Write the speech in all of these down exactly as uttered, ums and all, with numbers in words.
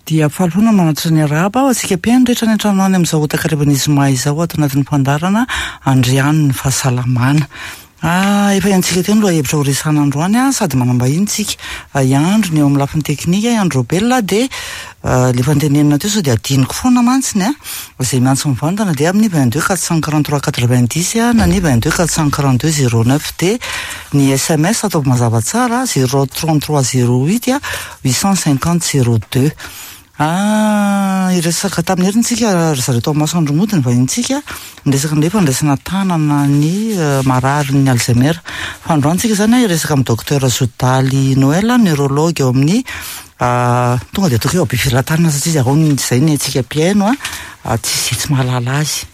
Dia faly foana manatitra ny arahaba ho antsika mpihaino rehetra any an-trano any amin'izao takarivan'ny zoma izao ato anatin'ny fandaharana Andriano ny fahasalamana. Ah, efa iantsika teo ny lohahevitra ho resahana androany a, sady manambahiny tsika. Iandro ny eo amin'ny lafiny teknika, Iandro Robel dia le fantenenina teo sao dia adinoko foana mantsiny a. Izay miantso mivantana dia amin'ny vingt deux quatre cent quarante trois quatre vingt dix na ny vingt deux quatre cent quarante deux zéro neuf dia ny S M S ataovy mazava tsara, zéro trente trois zéro huit huit cent cinquante zéro deux. Ah, iresaka tamin'ny herintsika ry zareo tao masoandro mody ny vahintsika niresaka ny fandraisana tanana ny marary ny Alzheimer. Fa androantsika zany iresaka amin'ny docteur Zodaly Noël, neurologue eo amin'ny, tonga dia ataoko hoe ao Befelatanana, satria izy ao zay ny antsika mpihaino a, tsisy tsy mahalala azy,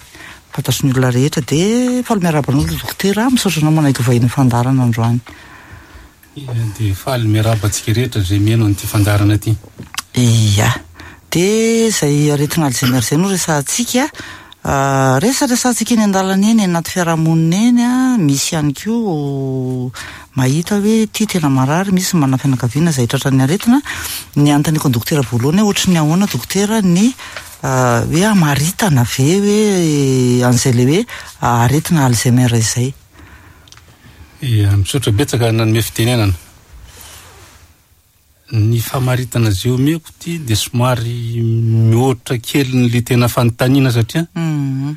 fantatry ny olona rehetra. Dia faly miarahaba anao, dokotera, misaotra anao manaiky vahiny fandaharana androany. Dia faly miarahaba antsika rehetra zay mihaino an'ity fandaharana ity. Ia, dia zay aretina Alzheimer zay no resahantsika, resaresantsika eny an-dalana eny, anaty fiarahamonina eny a, misy ihany koa mahita hoe ty tena marary, misy mana fianakaviana zay tratran'ny aretina. Ny anontaniako ny dokotera voalohany hoe ohatry ny ahoana, dokotera, ny hoe amaritana ve hoe an'izay le hoe aretina Alzheimer izay? Ia, misaotra betsaka nanome fitenenana. Ny famaritana zay omeko ty de somary mihoatra kely ny le tena fanontaniana, satria Mhm.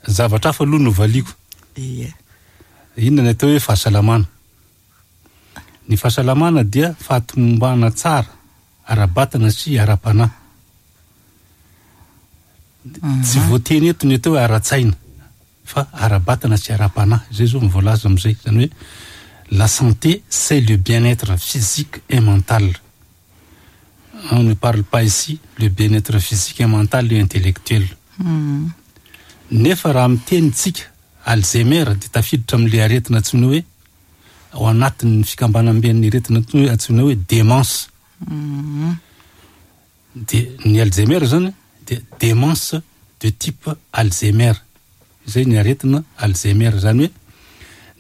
zavatra hafa aloha no valiko. Ie. Inona ny atao hoe fahasalamana? Ny fahasalamana dia fahatomombana tsara ara-batana sy ara-panahy. Tsy voateny eto ny atao hoe ara-tsaina, fa ara-batana sy ara-panahy zay zao mivoalaza am'izay. Zany hoe la santé, c'est le bien-être physique et mental. On ne parle pas ici le bien-être physique et mental et intellectuel. Mhm. Nefa raha miteny tsika Alzheimer de tafiditra am'le aretina antsoina hoe, ao anatin'ny fikambanamben'ny aretina antsoina hoe démence. Mhm. De ny Alzheimer zany de démence de type Alzheimer zay ny aretina Alzheimer. Zany hoe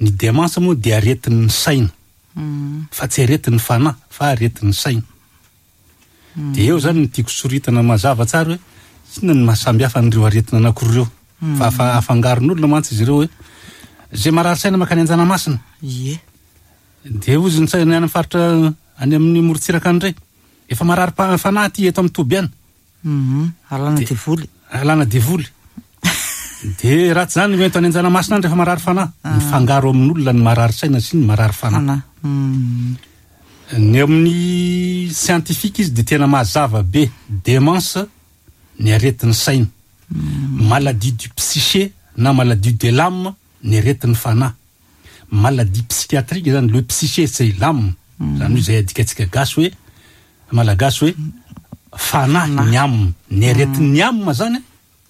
ny démence moa de aretin'ny saina, Mhm. fa tsy aretin'ny fanahy, fa aretin'ny saina. De eo zany ny tiako soritana mazava tsara hoe inona ny mahasambihafa an'ireo aretina anankiroa ireo, fa afa- afangaron'olona mantsy izy ireo hoe zay marary saina makany Anjanamasina. Ie. De ozy ny saina any amin'ny faritra any amin'ny morontsiraka any indray efa marary pa- fanahy ty eto amin'ny toby any. Mhm. Alana De- devoly. Alana devoly. De raha tsy zany hoento any Anjanamasina any rehefa marary fanahy. Mifangaro amin'olona ny marary saina sy ny marary fanahy. Fanahy. Mhm. Ny amin'ny scientifique izy de tena mazava be: démence ny aretin'ny saina, maladie du psyché na maladie de l'âme ny aretin'ny fanahy, maladie psychiatrique zany. Le psyché, c'est l'âme, zany hoe zay adikatsika gasy hoe, malagasy hoe fanahy, ny âme, ny aretin'ny âme zany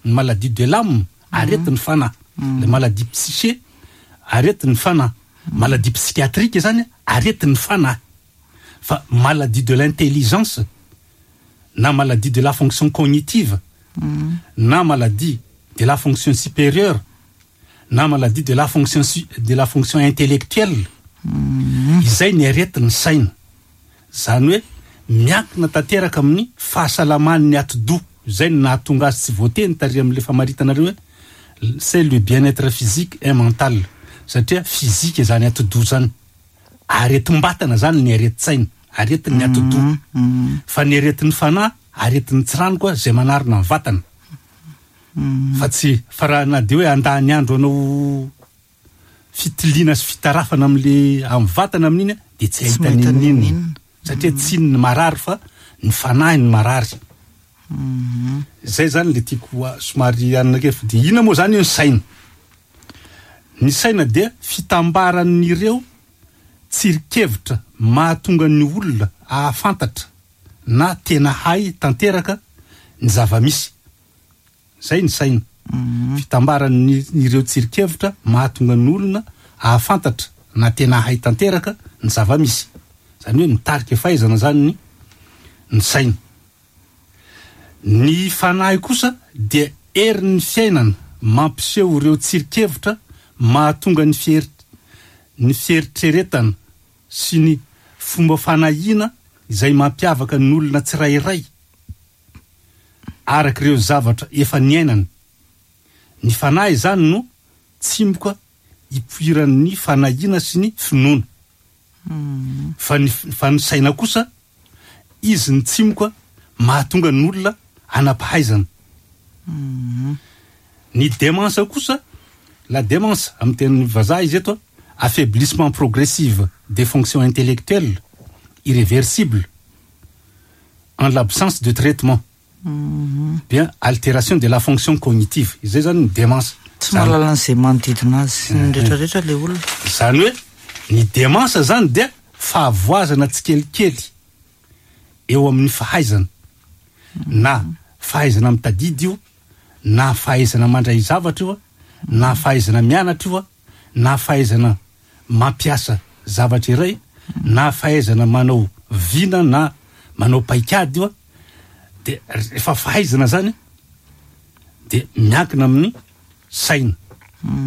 ny maladie de l'âme, aretin'ny fanahy. Le maladie psyché, aretin'ny fanahy, maladie psychiatrique zany aretin'ny fanahy, fa maladie de l'intelligence na maladie de la fonction cognitive na maladie de la fonction supérieure na maladie de la fonction su- de la fonction intellectuelle, izay ny aretin'ny saina. Zany hoe miankina tanteraka amin'ny fahasalaman'ny atidoha. Zay no nahatonga azy tsy voateny tary amin'le famaritanareo hoe c'est le bien-être physique et mental, satria physique zany atidoha zany, aretim-batana zany ny areti-tsaina, aretin'ny atidoha, fa ny aretin'ny fanahy, aretin'ny tsirano koa zay manarina ny vatana. Fa tsy fa raha na de hoe andany andro anao fitiliana sy fitarafana am'le amin'ny vatana amin'iny a, de tsy Tsy ahita mahita ninninona, ninninona. Satria tsy ny marary fa ny fanahy ny marary. Zay zany le tiako a- somary anina kely. Fa de ina moa zany io ny saina? Ny saina dia fitambaran'ireo tsirikevitra mahatonga ny olona ahafantatra na tena hay tanteraka ny zava-misy. Zay ny saina, fitambaran'ny ireo tsirikevitra mahatonga ny olona ahafantatra na tena hay tanteraka ny zava-misy. Zany hoe mitarika fahaizana zany ny ny saina. Ny fanahy kosa dia herin'ny fiainana mampiseho ireo tsirikevitra mahatonga ny fier- ny fieritreretana sy ny fomba fanahiana izay mampiavaka ny olona tsirairay. Araka ireo zavatra efa niainana. Ny fanahy zany no tsimoka ipoiran'ny fanahiana sy ny finoana. Fa ny fa ny saina kosa izy ny tsimoka mahatonga ny olona anam-pahaizana. Ny démence kosa, la démence amin'ny teny vazaha izy eto, affaiblissement progressif des fonctions intellectuelles irréversible en l'absence de traitement, bien altération de la fonction cognitive. Izay zany ny démence. Tsy mahalala an'izay manodidina azy sy ny rehetrarehetra le olona. Zany hoe ny démence zany dia fahavoazana tsikelikely eo amin'ny fahaizana, na fahaizana mitadidy io, na fahaizana mandray zavatra io a, na fahaizana mianatra io a, na fahaizana mampiasa zavatra iray, na fahaizana manao vina na manao paikady io a. De efa fahaizana zany de miankina amin'ny saina.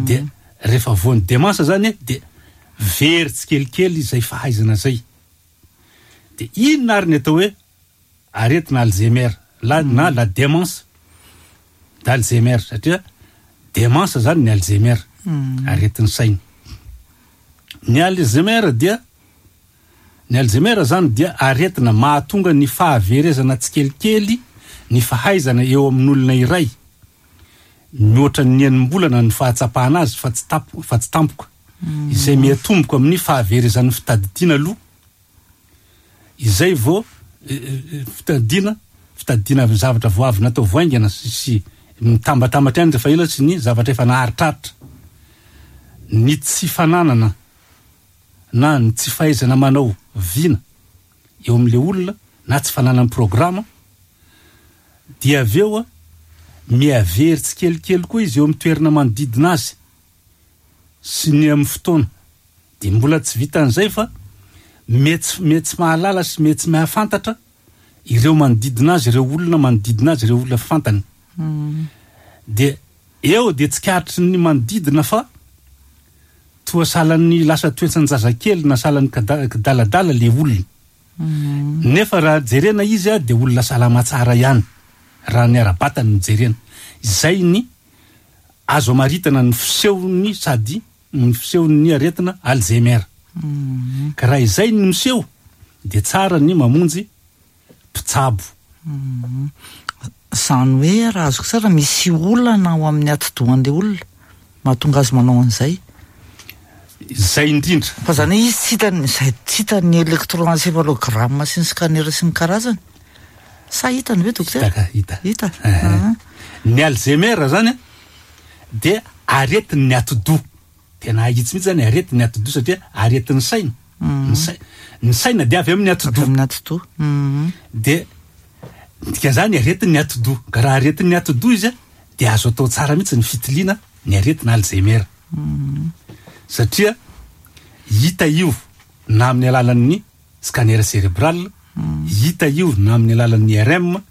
De rehefa voan'ny démence zany de very tsikelikely zay fahaizana zay. De inona ary ny atao hoe aretina Alzheimer la na la démence d'Alzheimer? Satria démence zany ny Alzheimer, aretin'ny saina. Ny Alzheimer dia, ny Alzheimer zany dia aretina mahatonga ny fahaverezana tsikelikely ny fahaizana eo amin'olona iray mihoatra ny enim-bolana ny fahatsapahana azy, fa tsy tapo fa tsy tampoka, izay miatomboka amin'ny fahaverezan'ny fitadidiana aloha, izay vao fitadidiana fitadidiana zavatra vao avy natao voaingana sy sy mitambatambatra ihany rehefa ela, sy ny zavatra efa naharitraritra, ny tsy fananana na ny tsy fahaizana manao vina eo amin'le olona, na tsy fananany programa. Dia avy eo a miavery tsikelikely koa izy eo amin'ny toerana manodidina azy sy ny amin'ny fotoana. De mbola tsy vitan'izay fa mety mety tsy mahalala sy mety tsy mahafantatra ireo manodidina azy, ireo olona manodidina azy, ireo olona fantany. De eo de tsikaritry ny manodidina fa toa salan'ny lasa toetsan-jazakely na salan'ny kada- kidaladala le olona, nefa raha jerena izy a de olona salama tsara ihany raha ny ara-batany no jerena. Izay ny azo amaritana ny fisehony sady ny fisehon'ny aretina Alzheimer. Ka raha izay ny miseho de tsara ny mamonjy mpitsabo. Zany hoe raha azoko tsara, misy olana ao amin'ny atidohan'le olona mahatonga azy manao an'izay? Zay indrindra. Fa zany hoe izy tsy hitany zay, tsy hitany électroencéphalogramme sy ny scanner sy ny karazany, sa hitany ve, dokotera? Hita, hita. Hita. Eh. Ny Alzheimer zany a de aretin'ny atidoha, tena ahitsy mihitsy zany, aretin'ny atidoha, satria aretin'ny saina. Ny sai- ny saina de avy amin'ny avy atidoha. Amin'ny atidoha. Mhm. De dikan'izany aretin'ny atidoha, ka raha aretin'ny atidoha izy a de azo atao tsara mihitsy ny fitiliana ny aretina Alzheimer, satria hita io na amin'ny alalan'ny scanner cérébral, hita io na amin'ny alalan'ny I R M,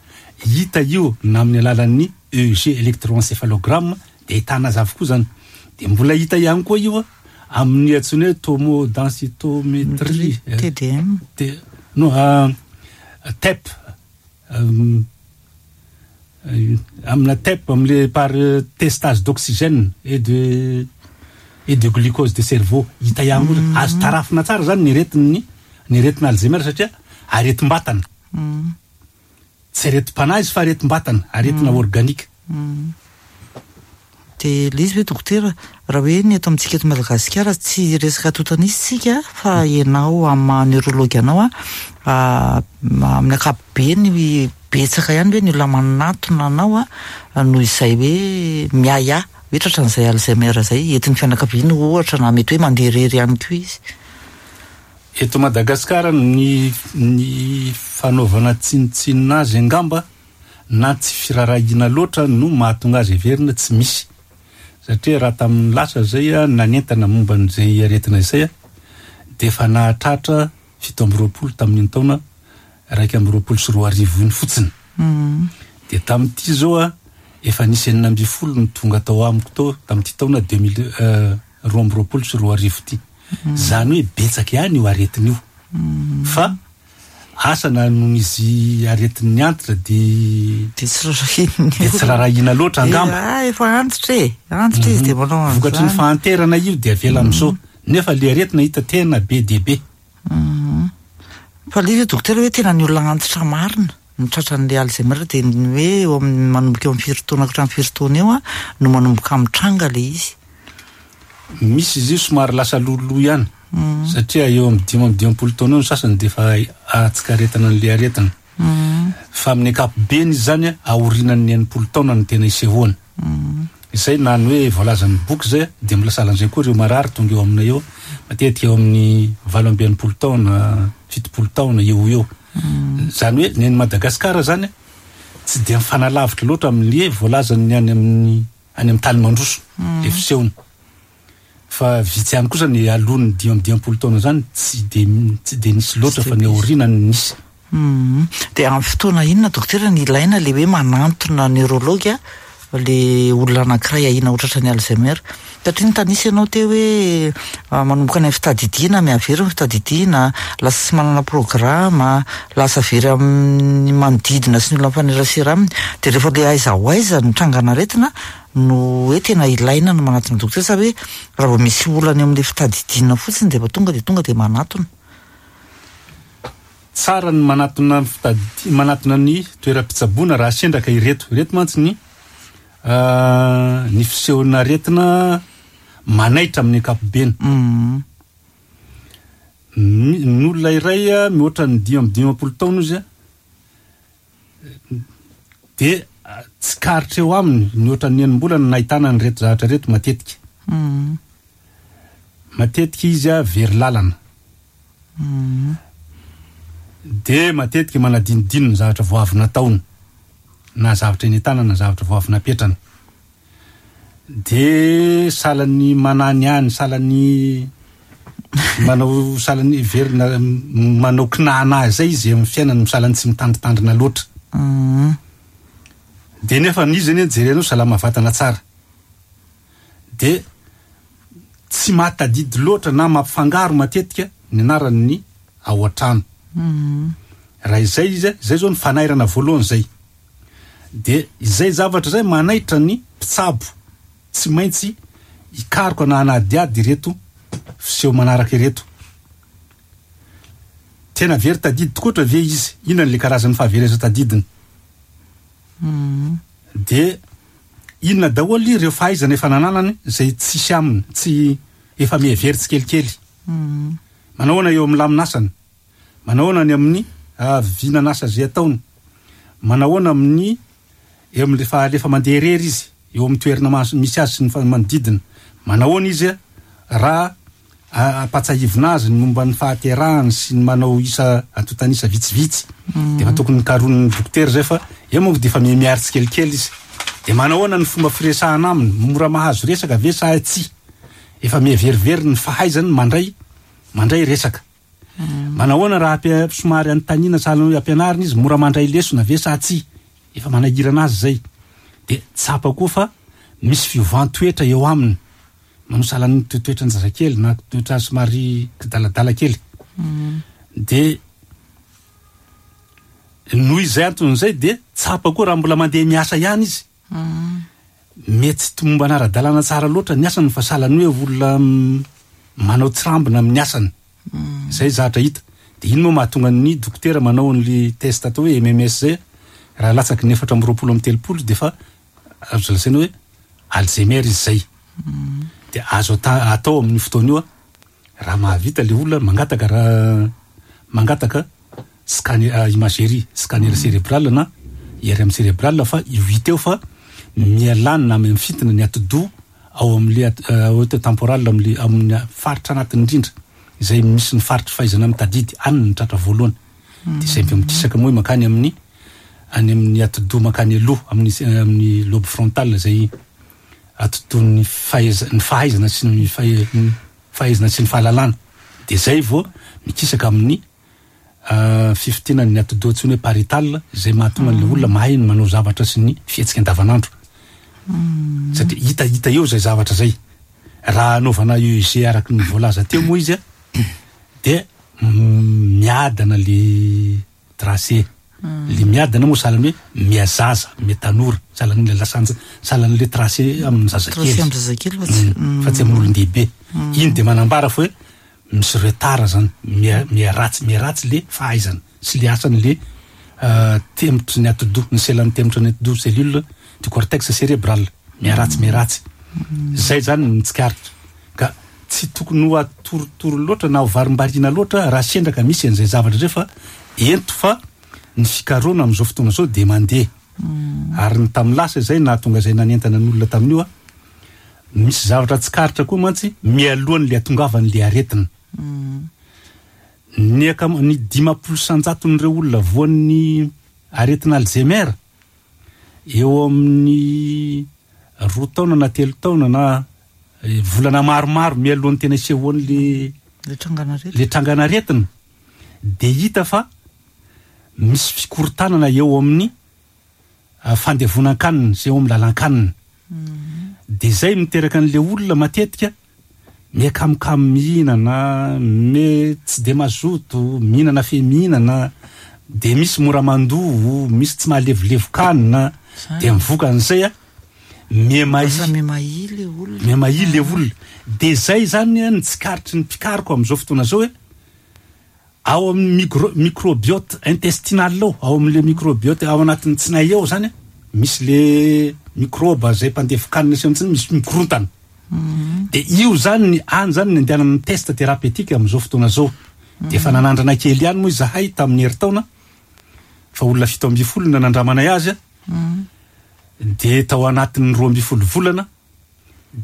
hita io na amin'ny alalan'ny E E G, électroencéphalogramme, de ahitana azy avokoa zany. De mbola hita ihany koa io a amin'ny antsoina hoe tomodensitométrie. T D M. T, non, euh, T E P, euh, euh, amina T E P, am'le par euh, testage d'oxygène et de et de glucose de cerveau, hita ihany koa. Azo tarafina tsara zany ny aretin'ny ny aretina Alzheimer, satria aretim-batana, tsy aretim-panahy izy fa aretim-batana, aretina organique. De le izy hoe, dokotera, raha hoe ny eto amintsika eto Madagasikara, tsy resaka totanisy tsika, fa ianao amin'ny maha neurologue anao a amin'ny ankapobeny betsaka ihany hoe ny olona manatona anao a noho izay hoe miaya hoe tratran'izay Alzheimer zay, entin'ny fianakaviana ohatra, na mety hoe mandeha rery ihany koa izy? Eto Madagasikara, ny ny fanaovana tsinotsinona azy angamba na tsy firarahina loatra no mahatonga azy everina tsy misy, satria raha tamin'ny lasa zay a nanentana momba n'izay aretina izay a de efa nahatratra fito amby roapolo tamin'iny taona raiky amby roapolo sy roa arivo iny fotsiny. De tamin'ity zao a efa nisy enina amby folo ny tonga tao amiko tao tamin'ity taona deux mille roa amby roapolo sy roa arivo ty. Zany hoe betsaka ihany io aretina io, fa Asa na noho izy aretin'ny antitra de de tsy rarahina de tsy rarahina loatra angamba. Ah, efa antitra e, antitra izy de manao an'izany. Vokatry ny fahanterana io de avela am'izao, nefa le aretina hita tena be de be. Fa le izy dokotera hoe tena ny olona antitra marina no tratran'le Alzheimer, de ny hoe eo amin'ny manomboka eo amin'ny firy taona ka hatramin'ny firy taona eo a no manomboka mitranga le izy? Misy izy io somary lasa loloha ihany, satria eo amin'ny dimy amby dimampolo taona eo ny sasany de efa atsikaretana an'le aretina, fa amin'ny ankapobeny izy zany a aorinan'ny enimpolo taona no tena isehoany izay, na ny hoe voalazan'ny boky zay. De mbola sahalan'izay koa ireo marary tonga eo aminay eo, matetika eo amin'ny valo amby enimpolo taona, fitopolo taona eo eo zany. Hoe ny any Madagasikara zany a tsy de mifanalavitra loatra amin'le voalazany any amin'ny any amin'ny tany mandroso le fisehony, fa vitsy ihany kosa ny alohan'ny dimy amby dimampolo taona zany tsy de tsy de nisy loatra, fa ny aorinany nisy. Mhm. De amin'ny fotoana inona, dokotera, ny ilaina le hoe manantona neurologue le olona anankiray ahiana ho tratran'ny Alzheimer? Satria nytanisy ianao teo hoe ah, manomboka any amin'ny fitadidiana, mihavery ny fitadidiana, lasa tsy manana programme, lasa very amin'ny manodidina sy ny olona mifanerasera aminy. De rehefa le aiza ho aiza ny trangana aretina no hoe tena ilaina no manatona dokotera, sa hoe raha vao misy olana eo amin'le fitadidiana fotsiny de efa tonga de tonga de manatona? Tsara ny manatona fitadi manatona ny toeram-pitsaboana raha sendraka ireto ireto mantsy ny ah, ny fisehon'ny aretina manaitra amin'ny ankapobeny. Mhm. Mi- ny olona iray a mihoatra ny dimy amby dimampolo taona izy a de ah, tsikaritra eo aminy mihoatra ny enim-bolana nahitana ny reto zavatra reto matetika. Mhm. Matetika izy a very lalana, Mhm. de matetika manadinodino ny zavatra vao avy nataony, na zavatra eny an-tanana, na zavatra vao avy napetrana, de salany manany any, salany manao, salany verina manao kinahana zay izy amin'ny fiainany, misalany tsy mitandritandrina loatra. Mhm. De nefa izy anie jerenao salama vatana tsara, de tsy mahatadidy loatra na mampifangaro matetika ny anaran'ny ao an-trano. Mhm. Raha izay izy a, zay zao ny fanairana voalohany zay, de izay zavatra zay manaitra ny mpitsabo tsy maintsy hikaroka na hanadiady ireto fiseho manaraka ireto: tena very tadidy tokoatra ve izy? Inona le karazan'ny fahavereza tadidiny? Mhm. De inona daholo ireo fahaizana efa nananany zay tsisy aminy, tsy efa mihevery tsikelikely? Mhm. Manao ahoana eo amin'ny laminasany? Manao ahoana ny amin'ny ah, vinanasa zay ataony? Manao ahoana amin'ny eo amin'le fa lefa mandeha irery izy eo amin'ny toerana mas- misy azy sy ny fa- manodidina? Manao ahoana izy a raha ah, ampatsahivina azy ny momba ny fahaterahany sy ny manao isa antontanisa vitsivitsy? De efa tokony nikaronin'ny dokotera zay, fa eo moa de efa mihamiary tsikelikely izy. De manao ahoana ny fomba firesahana aminy? Mora mahazo resaka ve sa tsy? Efa mihaverivery ny fahaizany mandray mandray resaka. Manao ahoana raha ampia- somary anontaniana, sahala hoe ampianarina izy? Mora mandray lesona ve sa tsy? Efa manahirana azy zay. De tsapa koa fa misy fiovan-toetra eo aminy, manao sahalan'ny toetoetra ny zazakely na toetra somary kidaladala kely. De noho izay anton'izay, de tsapa koa raha mbola mandeha miasa ihany izy, mety tsy tomombana ara-dalàna tsara loatra ny asany, fa sahalany hoe olona mm, manao tsirambina amin'ny asany zay zavatra hita. De ino moa mahatonga ny dokotera manao an'le test atao hoe M M S zay? Raha latsaky ny efatra amby roapolo amby telopolo de fa azo lazaina hoe Alzheimer izy zay. De azo ata- atao amin'ny fotoana io a raha mahavita le olona mangataka, raha mangataka scanner, ah, imagerie, scanner cérébral na I R M cérébral, fa io hita eo fa mialanina amy mifintina ny atidoha ao am'le at- euh, temporal, am'le amin'ny faritra anatiny indrindra izay misy ny faritry fahaizana mitadidy any ny tratra voalohany. De zay mbe mikisaka moa makany amin'ny any amin'ny atidoha makany aloha amin'ny amin'ny lobe frontal, zay atidoha ny fahaiza ny fahaizana sy ny fahe- ny fahaizana sy ny fahalalana. De zay vao mikisaka amin'ny uh, fifintinany ny atidoha antsoina hoe pariétal, zay mahatonga an'le olona mahay ny manao zavatra sy ny fihetsika andavanandro, satria hita hita eo zay zavatra zay. Raha anaovana E E G araky ny voalaza teo moa izy a de mm, miadana le Tracé le miadana moa sahalany hoe miazaza, miatanora, sahalan'le lasanja, sahalan'le tracé amin'ny zazakely. Tracé amin'ny zazakely fa tsy Mm, fa tsy amin'olon-dehibe iny. De manambara fa hoe misy retard zany, mia- miaratsy miaratsy le fahaizana sy le asany le euh, temotry ny atidoha, ny selan'ny temotry ny atidoha, cellule du cortex cérébral, miaratsy miaratsy zay zany ny tsikaritra. Ka tsy tokony ho atorotoro loatra na ho varimbariana loatra raha sendraka misy an'izay zavatra zay, fa ento fa ny fikaroana am'izao fotoana zao de mandeha. Ary ny tamin'ny lasa zay nahatonga zay nanentana ny olona tamin'io a, misy zavatra tsikaritra koa mantsy mialohan'le atongavan'le aretina. Ny akam- ny dimapolo sanjaton'ireo olona voan'ny aretina Alzheimer, eo amin'ny roa taona na telo taona na eh, volana maromaro mialohan'ny tena isehoan'le le trangan'aretina, le trangan'aretina, de hita fa misy fikorontanana eo amin'ny ah, fandevonan-kanina sy eo amin'ny lalan-kanina. De zay miteraka an'le olona matetika miakamokamo mihinana, me tsy de mazoto mihinana, fe mihinana de misy mora mandoa, misy tsy mahalevolevokanina. De mivoka an'izay a mihamahia. Lasa mihamahia le olona. Mihamahia le olona. De zay zany a ny tsikaritry ny mpikaroko am'izao fotoana zao hoe ao amin'ny micro microbiote intestinal ao, ao amin'le microbiote ao anatin'ny tsinay ao zany a, misy le microbe zay mpandevokanina sy amitsiny, misy mikorontana. De io zany ny any zany ny andehanana test thérapeutique am'izao fotoana zao. De efa nanandrana kely ihany moa izahay tamin'ny herintaona, fa olona fito amby folo nanandramanay azy a, de tao anatin'ny roa amby folo volana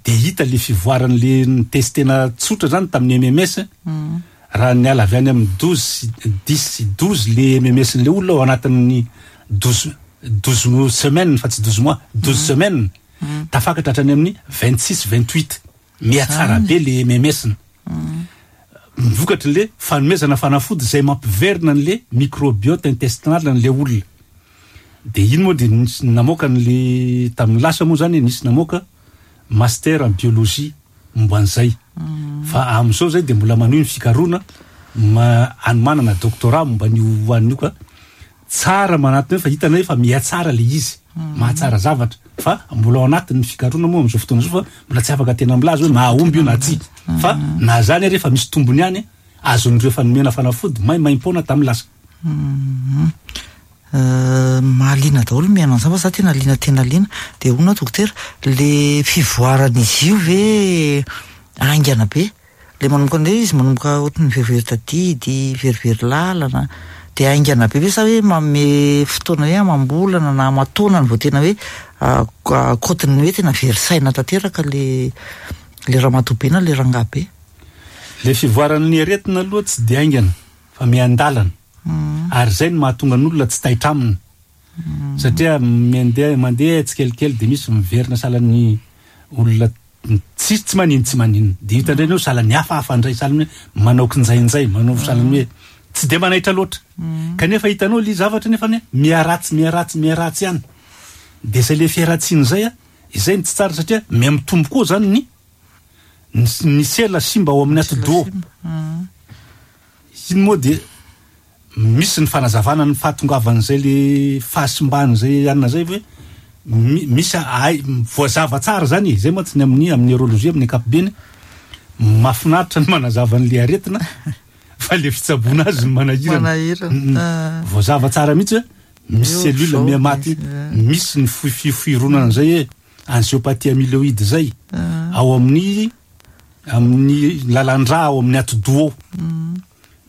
de hita le fivoaran'le ny testena tsotra zany tamin'ny M M S. Raha niala avy any amin'ny douze sy dix sy douze le M M S n'le olona ao anatin'ny douze douze semaine, fa tsy douze mois, douze semaines, tafakatra hatrany amin'ny vingt six, vingt huit, mihatsara be le M M S ny mivokatry le fanomezana fanafody zay mampiverina an'le microbiote intestinal n'le olona. De iny moa de nisy namoaka n'le tamin'ny lasa moa zany, nisy namoaka master en biologie momba an'izay. Fa am'izao zay de mbola manohy ny fikaroana ma anomanana doctorat momba an'io an'io. Ka tsara manatiny hoe fa hitanay fa mihatsara le izy, mahatsara zavatra, fa mbola ao anatin'ny fikaroana moa am'izao fotoana zao, fa mbola tsy afaka tena milaza hoe mahomby io na tsy. Fa na zany ary efa misy tombony ihany azon'ireo fanomena fanafody maimaimpoana tamin'ny lasa. Euh, mahaliana daholo mihaino an'izany, fa za tena liana, tena liana. De hono dokotera, le fivoaran'izy io ve aingana be le manomboka ndray izy, manomboka ohatrany verivery tadidy, verivery lalana, de aingana be ve sa hoe manome fotoana hoe amam-bolana na amataonany vao tena hoe kotiny hoe tena very saina tanteraka le le ramatoa be na le rangahy be? Le fivoaran'ny aretina aloha tsy de aingana fa miandalana, ary zay no mahatonga n'olona tsy taitra aminy, satria mandeha mandeha tsikelikely. De misy miverina salan'ny olona tsisy tsy manino tsy maninona, de hita indray anao salan'ny hafahafa indray, salany hoe manao kinjainjay, manao salany hoe tsy de manaitra loatra, kanefa hitanao le zavatra nefany miharatsy miharatsy miharatsy ihany. De zay le fiharatsiana zay a, izay ny tsy tsara, satria mihamitombo koa zany ny ny sela simba ao amin'ny atidoha iny. Moa de misy ny fanazavana ny fahatongavan'izay le fahasimban'zay anina zay hoe misy ay voazava tsara zany e. Zay moa tsy ny amin'ny amin'ny neurologie amin'ny ankapobeny mahafinaritra ny manazava an'le aretina, fa le fitsaboana azy ny manahirana. Manahirana. Voazava tsara mihitsy hoe misy Io cellule zao mihamaty, misy, misy ny fifoifironana zay hoe angiopathie amyloïde zay ao amin'ny amin'ny lalandra ao amin'ny atidoha ao,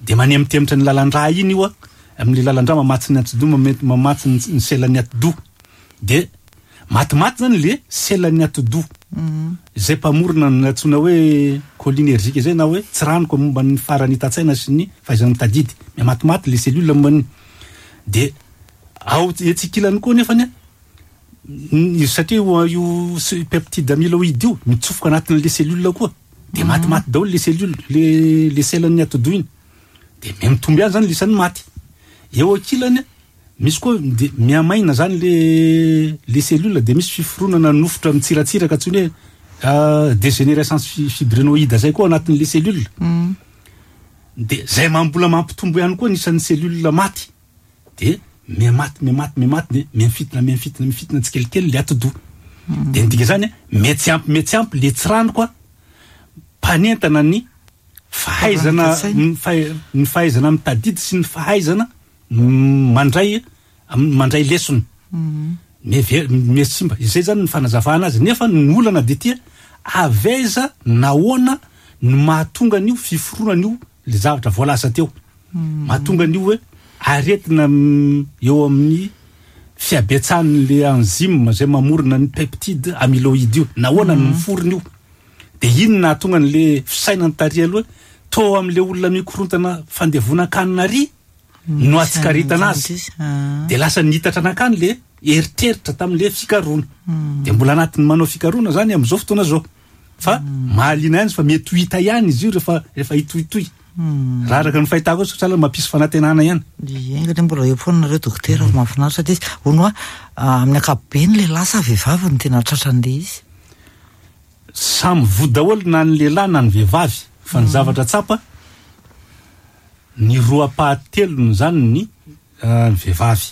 de manemitemotra ny lalandra iny io a, amin'ny lalandra mamatsy ny atidoha, mame- mamatsy ny ny selan'ny atidoha, de matimaty zany le selan'ny atidoha zay mpamorona ny antsoina hoe cholinergique zay, na hoe tsiranoko momba ny faharanitan-tsaina sy ny fahaizana mitadidy. Mihamatimate le cellule momba ny de ao etsikilany koa nefany a, n- satria io io s- peptide amyloïde io mitsofoka anatin'le cellule koa, de matimaty daholo le cellule, le le selan'ny atidoha iny, de mihamitombo ihany zany lisan'ny maty. Eo ankilany misy koa de mihamaina zany le le cellule, de misy fiforonana nofotra mitsiratsiraka antsony hoe euh, dégénérescence fi- fibrinoïde zay koa anatin'le cellule, de zay mambola mampitombo ihany koa nisan'ny cellule maty. De mihamaty, mihamaty, mihamaty, de mihafitina, mihafitina, mifitina tsikelikely le atidoha. De ny dika zany, mety ampy, mety ampy le tsiranoka a mpanentana ny fahaizana, ny fahaizana mitadidy sy ny fahaizana mandray mandray lesona. Meve mesimba izay zany ny fanazavana azy. Nefa ny olana de tia avaiza, nahoana no mahatonga an'io fiforonana io, le zavatra voalaza teo, mahatonga an'io hoe aretina eo amin'ny fiabetsahan'le enzyme zay mamorona ny peptide amyloïde io, nahoana no miforona io, de ino nahatonga an'le fisainany tary aloha to am'le olona mikorontana fandevonan-kanina ary no atsikaritana azy, de lasa nitatra anakany le eritreritra tam'le fikaroana. De mbola anatin'ny manao fikaroana zany am'izao fotoana zao, fa mahaliana ihany izy, fa mety ho hita ihany izy io rehefa rehefa hitohitohy raha araka ny fahitako azy, sahala mampisy fanantenana ihany. Enga mbola eo foana nareo dokotera, mahafinaritra ty izy. Hono a, amin'ny ankapobeny, lehilahy sa vehivavy no tena tratran'le izy? Samy voa daholo na ny lehilahy na ny vehivavy, fa ny zavatra tsapa, ny roa ampahatelony zany ny ny vehivavy,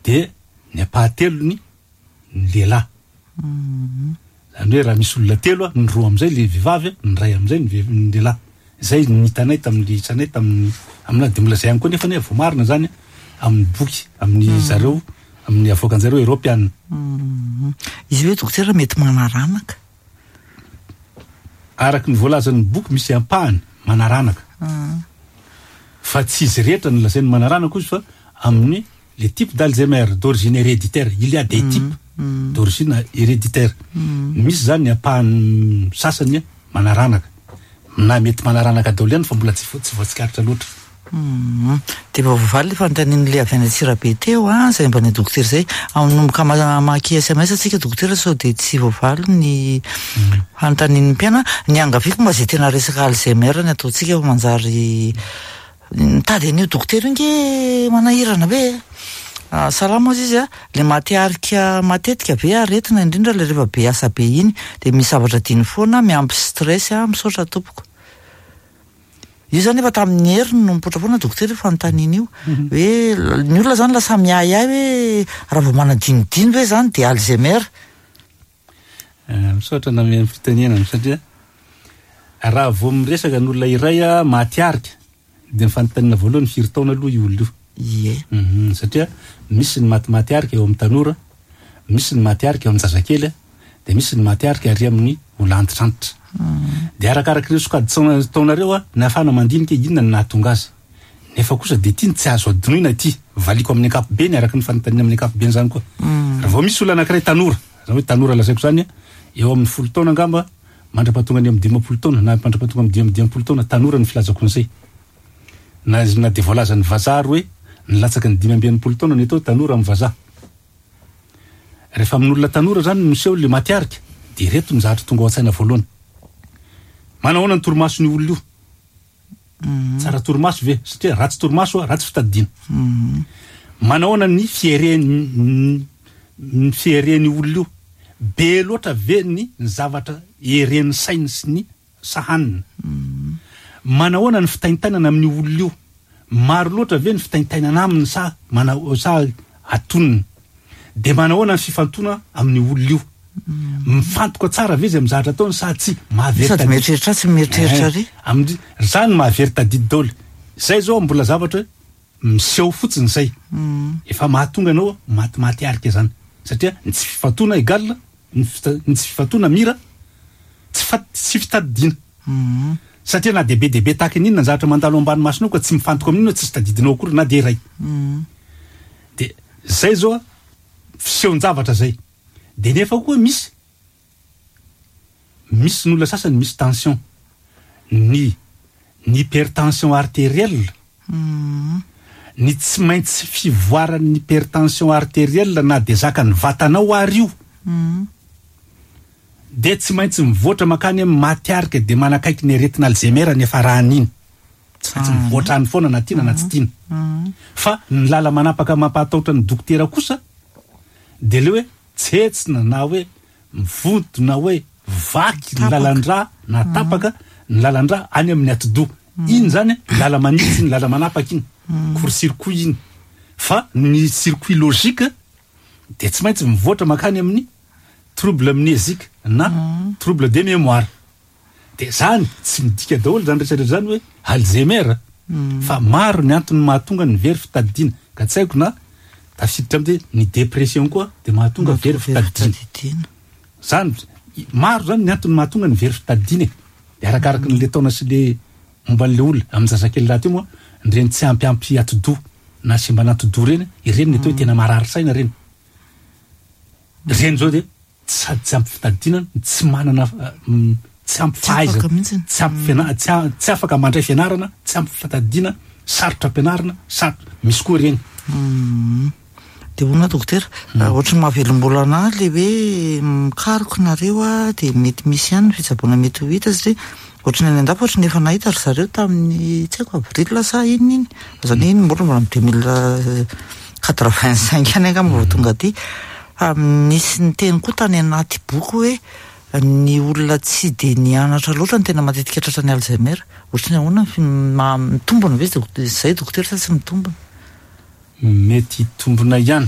de ny ampahatelony ny lehilahy. Zany hoe raha misy olona telo a, ny roa am'izay le vehivavy, ny ray am'izay ny ve- ny lehilahy. Zay ny hitanay tamin'le isanay tamin'ny amina. De mbola zay ihany koa nefa ny voamarina zany amin'ny boky amin'ny zareo, amin'ny avoakan'jareo eropeana. Izy hoe dokotera, mety manaranaka? Araky ny voalazan'ny boky, misy ampahany manaranaka, fa tsy izy rehetra ny lazainy manaranaka izy, fa amin'ny le type d'Alzheimer d'origine héréditaire, il y a des types d'origine héréditaire, misy zany ny ampahany sasany manaranaka na mety manaranaka daholo ihany, fa mbola tsy tsy voatsikaritra loatra. De mba voavaly le fanontanian'le avy any Antsirabe teo a, zay mba ny dokotera zay anomboka mamaky S M S atsika dokotera, sao de tsy voavaly ny fanontanian'ny mpiana. Ny angaviko mba zay tena resaka Alzheimer ny ataontsika, fa manjary mitady an'io dokotera io nge manahirana be. Salama ozy izy a, le matiarika matetika be aretina, indrindra le rehefa be asa be iny, de misy zavatra diny foana miampy stress a. Misaotra tompoko. Io zany efa tamin'ny heriny no mipoitra foana dokotera io fanontaniana io, hoe ny olona zany lasa miahiahy hoe raha vao manadinodino hoe zany de Alzheimer. Misaotra name fitenenana, satria raha vao miresaka ny olona iray a matiarika, de ny fanontaniana voalohany, firy taona aloha io olona io? Ie. Mhm, satria misy ny matimaty eo amin'ny tanora, misy ny matiarika eo amin'ny zazakely, de misy ny matiarika ary amin'ny olo antitrantitra. De arakaraky ireo sokajy taonareo a ny ahafahana mandinika inona ny nahatonga azy. Nefa kosa de ty ny tsy azo adinoina ty, valiko amin'ny ankapobeny araky ny fanontaniana amin'ny ankapobeny zany koa. Raha vao misy olo anankiray tanora zany, hoe tanora lazaiko zany eo amin'ny folo taona angamba mandrapatonga ny amin'ny dimampolo taona na mandrapatonga amin'ny dimy dimampolo taona, tanora ny filazako an'izay, na na de voalazan'ny vazaha hoe ny latsaky ny dimy amby enimpolo taona ny atao tanora amin'ny vazaha. Rehefa amin'olona tanora zany miseho le matiarika, de reto ny zavatra tonga ao an-tsaina voalohany: manahoana ny torimasony olona io, tsara torimaso ve? Satria ratsy torimaso a, ratsy fitadidiana. Manahoana ny fiereny ny fiereny olona io? Be loatra ve ny ny zavatra eren'ny sainy sy ny sahanina? Manahoana ny fitaintainana amin'ny olona io? Maro loatra ve ny fitaintainana aminy sa mana sa atonina? De manahoana ny fifantona amin'ny olona io? Mifantoka tsara ve izy amy zavatra ataony sa tsy mahavery? Sady mieritreritra tsy mieritreritra ry. Amin'ny zany mahavery tadidy daoly zay zao, mbola zavatra hoe miseho fotsiny zay efa mahatonga anao matimaty arika zany, satria ny tsy fifantona égal ny fita- ny tsy fifantona mira tsy fa tsy fitadidiana, satria na de be de be tahaky n'inona ny zavatra mandalo ambany masonao ka tsy mifantoka amin'iny hoe tsisy tadidinao akory na de iray. De zay zao a fisehon-javatra zay. De nefa koa misy misy ny olona sasany misy tension, ny ny hypertension artérielle, ny tsy maintsy fivoaran'ny hypertension artérielle na de zaka ny vatanao ary io, de tsy maintsy mivoatra makany amy matiarika, de manakaiky ny aretina Alzheimer ny efa rahan'iny, tsy maintsy mivoatra any foana na tiana na tsy tiana. Fa ny lala manapaka mampahataotra ny dokotera kosa de le hoe tsetsina na hoe mivonto na hoe vaky ny lalandra na tapaka ny lalandra any amin'ny atidoha iny zany, lala manitsy iny, lala manapaka iny, court-circuit iny. Fa ny circuit logique de tsy maintsy mivoatra makany amin'ny trouble amnésique na mm. trouble de mémoire. De zany tsy midika daholo zany rehetrarehetra zany hoe Alzheimer, mm. fa maro ny antony mahatonga ny very fitadidiana. Ka tsy haiko na tafiditra am'ty ny dépression koa de mahatonga very fitadidiana zany. Maro zany ny antony mahatonga ny very fitadidiana e, de arakaraky n'le taona sy le momba an'le olona. Amin'ny zazakely raha teo moa nyreny tsy ampiampy atidoha na simba anatidoha reny, ireny ny atao hoe tena marary saina reny. Reny zao de sady tsy ampy fitadidiana, tsy manana, tsy ampy fahaizana, tsy ampy fiana- tsy tsy afaka mandray fianarana, tsy ampy fitadidiana, sarotra ampianarina, sarotra misy koa reny. De hoana dokotera, ohatry ny mahavelom-bolo anahy le hoe mikaroka nareo a, de mety misy ihany ny fitsaboana mety ho hita, satria ohatry ny any an-dafy, ohatry ny efa nahita ry zareo tamin'ny tsy haiko avril sa inona iny zany, iny mbola mbola deux mille quatre vingt cinq any angamba vao tonga aty. Fa nisy niteny koa tany anaty boky hoe ny olona tsy de nianatra loatra ny tena matetika tratra ny Alzheimer. Ohatry ny ahoana ma- mitombona ve zay, dokotera, sa tsy mitombona? Mety hitombona ihany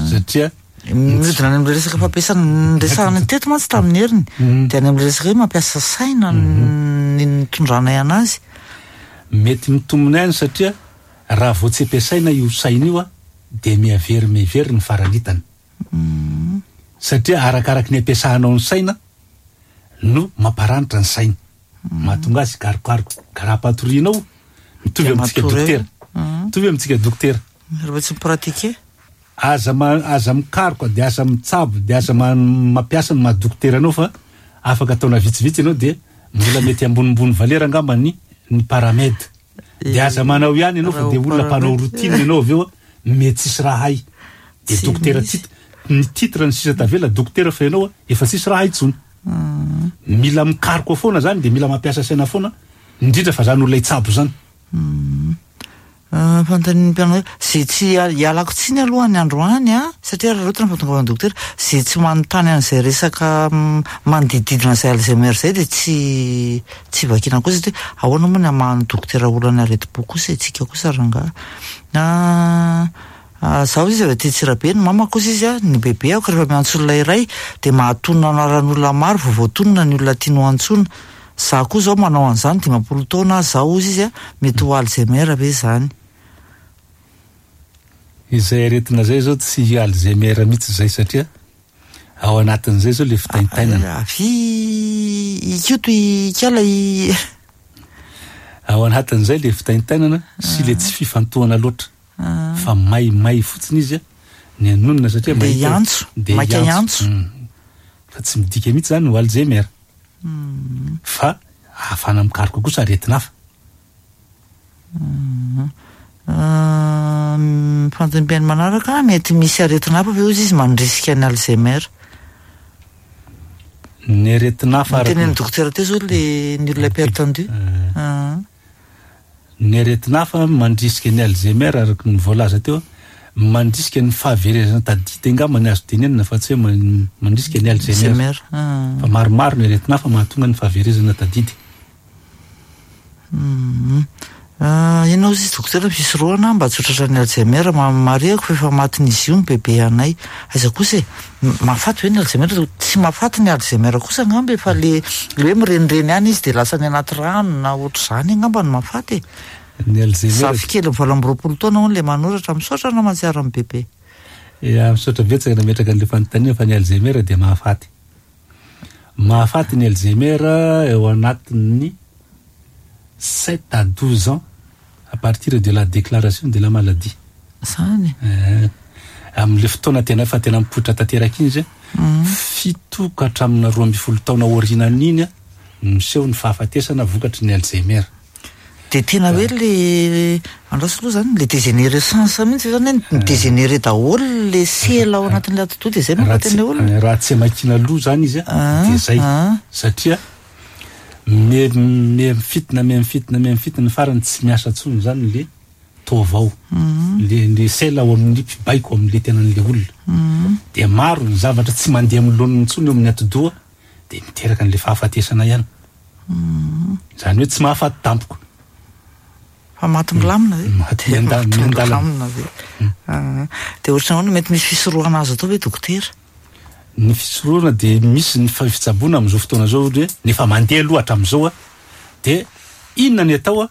satria miodina any am'le resaka fampiasana nyresahana teto mantsy tamin'ny heriny, de any am'le resaka hoe mampiasa saina ny nitondranay anazy. Mety mitombona ihany satria raha vao tsy ampiasaina io saina io a, de miavery mivery ny faranitany, satria arakaraky ny ampiasahanao ny saina no mamparanitra ny saina, mahatonga azy karokaroka. Ka raha ampatorianao, mitovy amitsika dokotera, mitovy amitsika dokotera. Rehefa tsy mi-pratique. Aza ma- aza mikaroka, de aza mitsabo, de aza ma- mampiasa ny mahadokotera anao, fa afaka taona vitsivitsy ianao de mbola mety ambonimbony valeur angamba ny ny paramed, de aza manao ihany ianao, fa de olona mpanao routine ianao avy eo a, mety tsisy raha hay de Tsy dokotera misy. tit ny titre ny sisa tavela dokotera, fa ianao a efa tsisy raha hay tsony. Mila mikaroka foana zany, de mila mampiasa saina foana, indrindra fa zany olona hitsabo zany. Ah, fanontanian'ny mpianao zay tsy ialako tsiny aloha ny androany a, satria raha loatra ny fahatongavan'ny dokotera zay tsy manontany an'izay resaka mm, manodididina zay Alzheimer zay, de tsy tsy vakina koa, satria ahoana moa ny amahan'ny dokotera olana aretim-po kosa itsika kosa rangaha. Ah, ah, zaho izy avy aty Tsirabe, ny mama kosa izy a, ny bebe ako rehefa miantso olona iray de mahatonona anaran'olona maro vao voatonona ny olona tiano antsoina. Za koa zao manao an'izany dimampolo taona zaho ozy izy a, mety ho Alzheimer ve zany? Izay aretina zay zao tsy Alzheimer mihitsy zay, satria ao anatin'izay zao le fitaintainana. Avy ikoto ikala i Ao anatin'izay le fitaintainana sy le tsy fifantohana loatra, fa maimay fotsiny izy a ny anonona satria De mahita- hiantso, de maika hiantso. Mm. Fa tsy midika mihitsy zany ho Alzheimer, fa ahafahana mikaroka kosa aretina hafa. Fanontaniam-piaino manaraka: mety misy aretina hafa ve ozy izy mandrisika ny Alzheimer? Ny aretina hafa araka- Tenen'ny dokotera teo zao le ny olona hypertendu. Ah. Ny aretina hafa mandrisika ny Alzheimer, araka ny voalaza teo, mandrisika ny fahaverezana tadidy angamba ny azo tenenina, fa tsy hoe man- mandrisika ny Alzheimer. Alzheimer. Ah. Fa maromaro ny aretina hafa mahatonga ny fahaverezana tadidy. Mhm. Ah, inona ozy izy, dokotera, fisorohana mba tsy ho tratran'ny Alzheimer? Ma- marihako fa efa matin'izy io ny bebe anay. Aiza kosa e, M- mahafaty ve ny Alzheimer? Tsy mahafaty ny Alzheimer kosa angamba, efa le le hoe mirenireny any izy de lasa any anaty rano na ohatr'izany angamba no mahafaty e. Ny Alzheimer Zafikely valo amby roapolo taona hono le manoratra. Misaotra anao mahatsiaro amin'ny bebe. Ya, misaotra betsaka nametraka an'le fanontaniana, fa ny Alzheimer dia mahafaty, mahafaty ny Alzheimer eo anatin'ny sept à douze ans à partir de la déclaration de la maladie. Zany. Eh, amin'le fotoana tena efa tena mipoitra tanteraka iny izy a, fito ka hatramin'ny roa amby folo taona aorianan'iny a miseho ny fahafatesana vokatry ny Alzheimer. De tena hoe le andraso aloha zany, le dégénérescence mihitsy zany hoe mi-dégénéré daholo le sela ao anatin'le atidoha, de zay raha mahafaty tsy an'le olona. Raha tsy amakina loha zany izy a, Ah, de zay ah. satria me me mifitina, me mifitina, me mifitina, ny farany tsy miasa ntsony zany le taovao, le le sela ao amin'ny mpibaiko amin'le tenan'le olona, de maro ny zavatra tsy mandeha amin'ny laoniny ntsony eo amin'ny atidoha, de miteraka an'le fahafatesana ihany zany hoe tsy mahafaty tampoka. Fa maty milamina ve? Maty mianda- Maty miandalana. milamina ve? Ah, de ohatrany ahoana mety misy fisorohana azo atao ve, dokotera? Ny fisorohana de misy ny fa- fitsaboana am'izao fotoana zao, ohatra hoe nefa mandeha aloha hatram'izao a, de inona ny atao a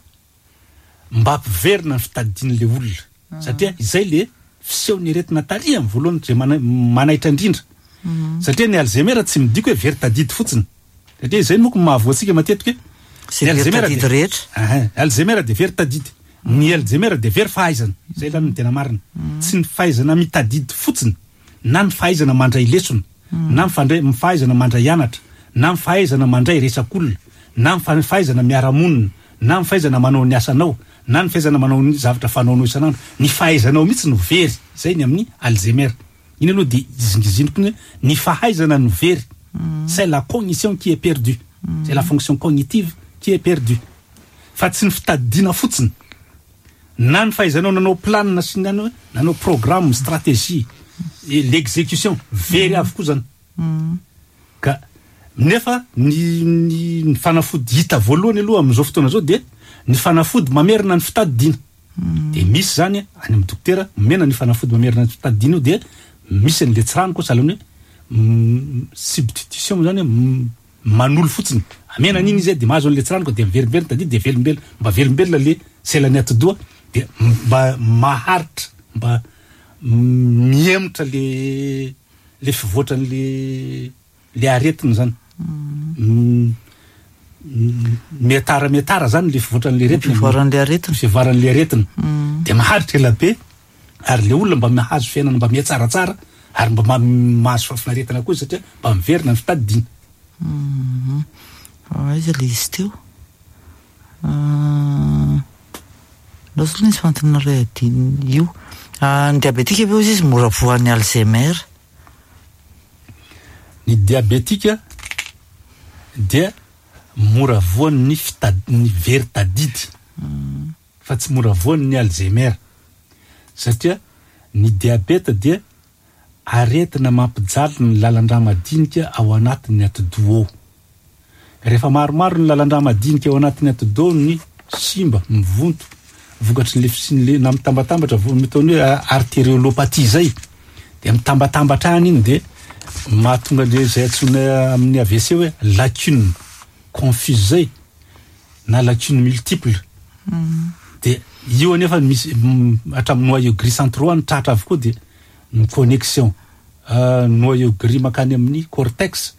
mba ampiverina ny fitadidian'le olona, satria izay le fiseho ny aretina tary amin'ny voalohany zay mana- manaitra indrindra, satria ny Alzheimer tsy midika hoe very tadidy fotsiny, satria izay moko mahavoantsika matetika hoe Zay ny very Alzheimer tadidy de- rehetra. Ahin, Alzheimer de very tadidy, ny Alzheimer de very fahaizana. Zay lany ny tena marina, tsy ny fahaizana mitadidy fotsiny, na ny fahaizana mandray lesona, na ny fandray- ny fahaizana mandray anatra, na ny fahaizana mandray resak'olona, na ny fa- fahaizana miara-monina, na ny fahaizana manao ny asanao, na ny fahaizana manao ny zavatra fanaonao isan'andro. Ny fahaizanao mihitsy no very. Zay ny amin'ny Alzheimer iny aloha. De izingiziniko ny hoe ny fahaizana no very, c'est la cognition qui est perdue, c'est la fonction cognitive qui est perdue, fa tsy ny fitadidiana fotsiny, na ny fahaizanao nanao planina sy ny any hoe nanao programme, stratégie et l'exécution, very avokoa zany. Ka nefa ny ny ny fanafody hita voalohany aloha am'izao fotoana zao de ny fanafody mamerina ny fitadidiana. De misy zany any amin'ny dokotera omena ny fanafody mamerina ny fitadidiana io, de misy an'le tsirano koa sahala hoe mm, substitution zany hoe mm, manolo fotsiny, amena an'iny izy de mahazo an'le tsirano koa, de miverimberina tadidy, de velombelona, mba velombelona le selan'ny atidoha, de mba maharitra, mba mihemotra le le fivoatran'le le aretina zany. Mm, mm, miatara miatara zany le fivoatran'le aretina. Fivoaran'le aretina. Fivoaran'le aretina de maharitra ela be, ary le olona mba mahazo fiainana mba mihatsaratsara, ary mba ma- mahazo fahafinaretana koa izy, satria mba miverina ny fitadidiana. Mhm. Aiza le izy teo? Ah, Loatra aloha nisy fanontaniana iray adino io. Ah, ny diabetika ve ozy izy mora voan'ny Alzheimer? Ny diabetika dia mora voan'ny fitad- ny very tadidy, fa tsy mora voan'ny Alzheimer, satria ny diabeta dia aretina mampijaly ny lalan-dra madinika ao anatin'ny atidoha ao. Rehefa maromaro ny lalan-dra madinika ao anatin'ny atidoha ny simba, mivonto vokatry ny fisian'le na mitambatambatra vo- mitaony hoe artériolopathie zay, de mitambatambatra any iny, de mahatonga le zay antsoina amin'ny A V C hoe lacune confuse zay na lacune multiple. De io anefa misy mm, hatramin'ny noyau gris centraux any tratra avokoa, de ny connexion euh, noyau gris makany amin'ny cortex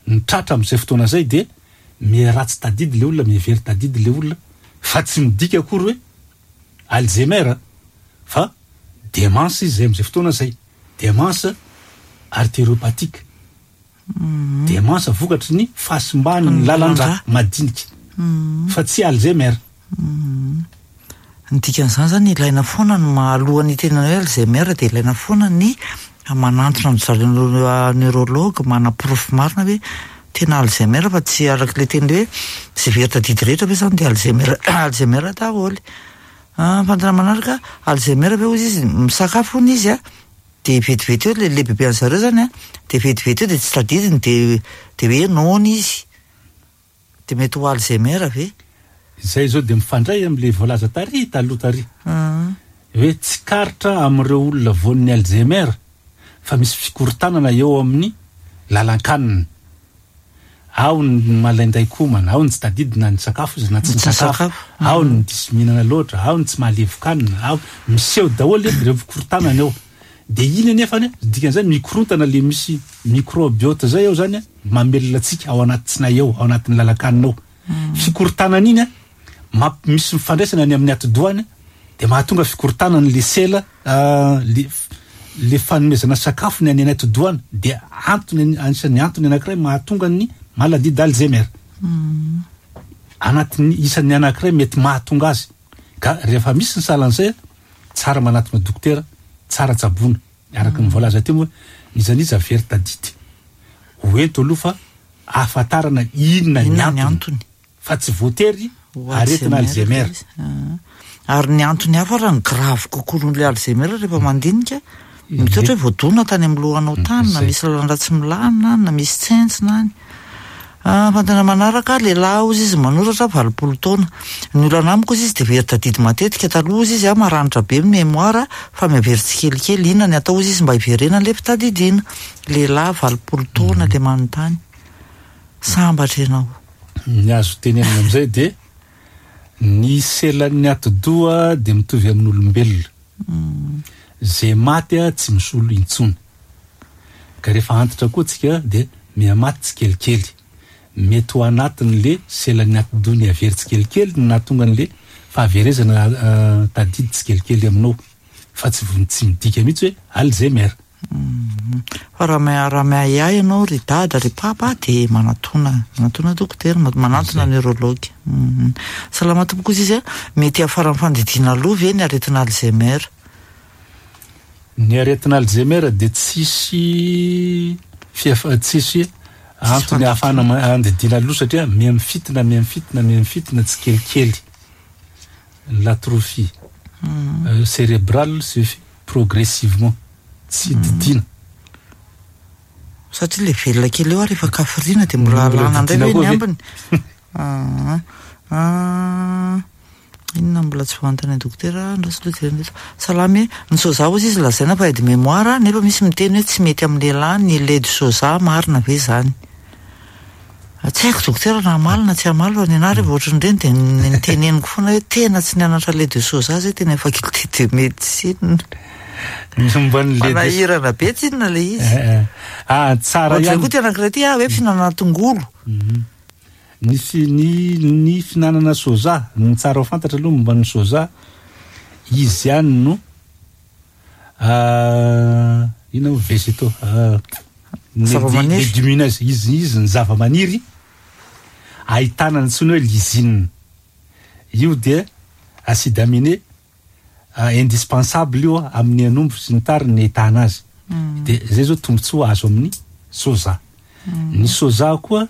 ny tratra am'izay fotoana zay, de miratsy tadidy le olona, mivery tadidy le olona, fa tsy midika akory hoe Alzheimer, fa démence izy zay am'izay fotoana zay, démence artériopathique, démence vokatry ny fahasimbany ny lalan-dra madinika, fa tsy Alzheimer. Ny dikan'izany zany, ilaina foana ny mahalohan'ny tenana hoe Alzheimer, de ilaina foana ny manantona amin'ny zareo neurologue, manaporofo marina hoe tena Alzheimer, fa tsy arak'le teny hoe zay very tadidy rehetra ve zany de Alzheimer, Alzheimer daholy. Ah, fantana manaraka, Alzheimer ve ozy izy misakafo hony izy a, de vetivety eo le lehibebe an'zareo zany a, de vetivety eo de tsy tadidiny, de de hoe noana izy, de mety ho Alzheimer ve? Zay zao de mifandray am'le voalaza tary taloha tary Ah. hoe tsikaritra am'ireo olona voan'ny Alzheimer fa misy fikorontanana eo amin'ny lalan-kanina ao, ny malainday komana ao, ny tsy tadidina ny sakafo izy na tsy Tsy nisakafo nisakafo. ao, ny diso mihinana loatra ao, ny tsy mahalevokanina ao, miseho daholo ireo fikorontanana eo. De iny anefany dikan'izay mikorontana le misy microbiote zay ao zany a, mamelona atsika ao anaty tsinay ao, ao anatin'ny lalan-kanina ao. Fikorontanana iny a mamp- misy mifandraisana any amin'ny atidohany, de mahatonga fikorontanana le sela ah, le le fanomezana sakafo ny any anaty atidohany, de antony, anisan'ny antony anankiray mahatonga ny maladie d'Alzheimer, anatin'ny isan'ny anankiray mety mahatonga azy. Ka rehefa misy ny salan'izay, tsara manatona dokotera, tsara tsabona araka ny voalaza teo moa, nizaniza very tadidy hoento aloha fa ahafantarana inona ny Inona ny antony, antony. Fa tsy voatery Ho aretina Alzheimer. Izy. Ah. Ary ny antony hafa raha ny grave kokoa noho le Alzheimer, rehefa mandinika, mety ohatra hoe voadona tany amin'ny lohanao tany, na Zay. misy lalan-dra tsy milamina any, na misy tsentsina any. Fantana manaraka, lehilahy ozy izy manoratra, valopolo taona. Ny olana amiko ozy izy de very tadidy matetika. Taloha ozy izy a maranitra be ny mémoire fa mihavery tsikelikely. Inona ny atao ozy izy mba hiverena le fitadidiana? Lehilahy valopolo taona le manontany. Sambatra ianao. Ny azo tenenina amizay de ny selan'ny atidoha de mitovy amin'olombelona. Zay maty a tsy misolo intsony. Ka rehefa antitra koa tsika de mihamaty tsikelikely. Mety ho anatin'le selan'ny atidoha ny avery tsikelikely no nahatonga an'le fahaverezana tadidy tsikelikely aminao. Fa tsy vo- tsy midika mihitsy hoe Alzheimer. Fa raha ma- raha miahiahy ianao ry dada, ry papa, de manatona manatona dokotera, manantona neurologue. Mhm. Salama tompoko izy izy a, mety hiafaran'ny fandidiana aloha ve ny aretina Alzheimer? Ny aretina Alzheimer de tsisy fiafa- tsisy antony ahafahana ma- andidiana aloha satria miha-mifitina, miha-mifitina, miha-mifitina tsikelikely. L'atrophie euh, cérébrale se fait progressivement. Tsy didiana. Satria le velona kely eo ary efa kafiriana de mbola Mbola alana indray didiana ve koa ny ve? ambiny? Ah, ah, inona mbola tsy voantany dokotera ndraso aloha jerena eto. Salamy e, ny soja ozy izy lazaina fa aide mémoire nefa misy miteny hoe tsy mety amin'ny lehilahy ny lait de soja, marina ve zany? Tsy haiko dokotera na hamaly na tsy hamaly, fa ny anahy rehefa ohatran'ireny de ny ny teneniko foana hoe tena tsy nianatra lait de soja zay tena faculté de médecine. Ny momba ny lait de Manahirana be tsinona le izy. Eh, eh. Ah, tsara Ohatr'izay ihany. koa ty anankiray ty ah hoe fihinanana tongolo. Mhm. Ny fi- ny ny fihinanana soja, ny tsara ho fantatra aloha momba ny soja, izy ihany no ah, inona moa végétaux, ah, ny Zava-maniry. légumineuse, izy izy ny zava-maniry ahitana ny antsoina hoe lysine. Io de acide aminé ah, indispensable io amin'ny anombo sy ny tariny ny ahitana azy. De zay zao tombontsoa azo amin'ny soja. Ny soja koa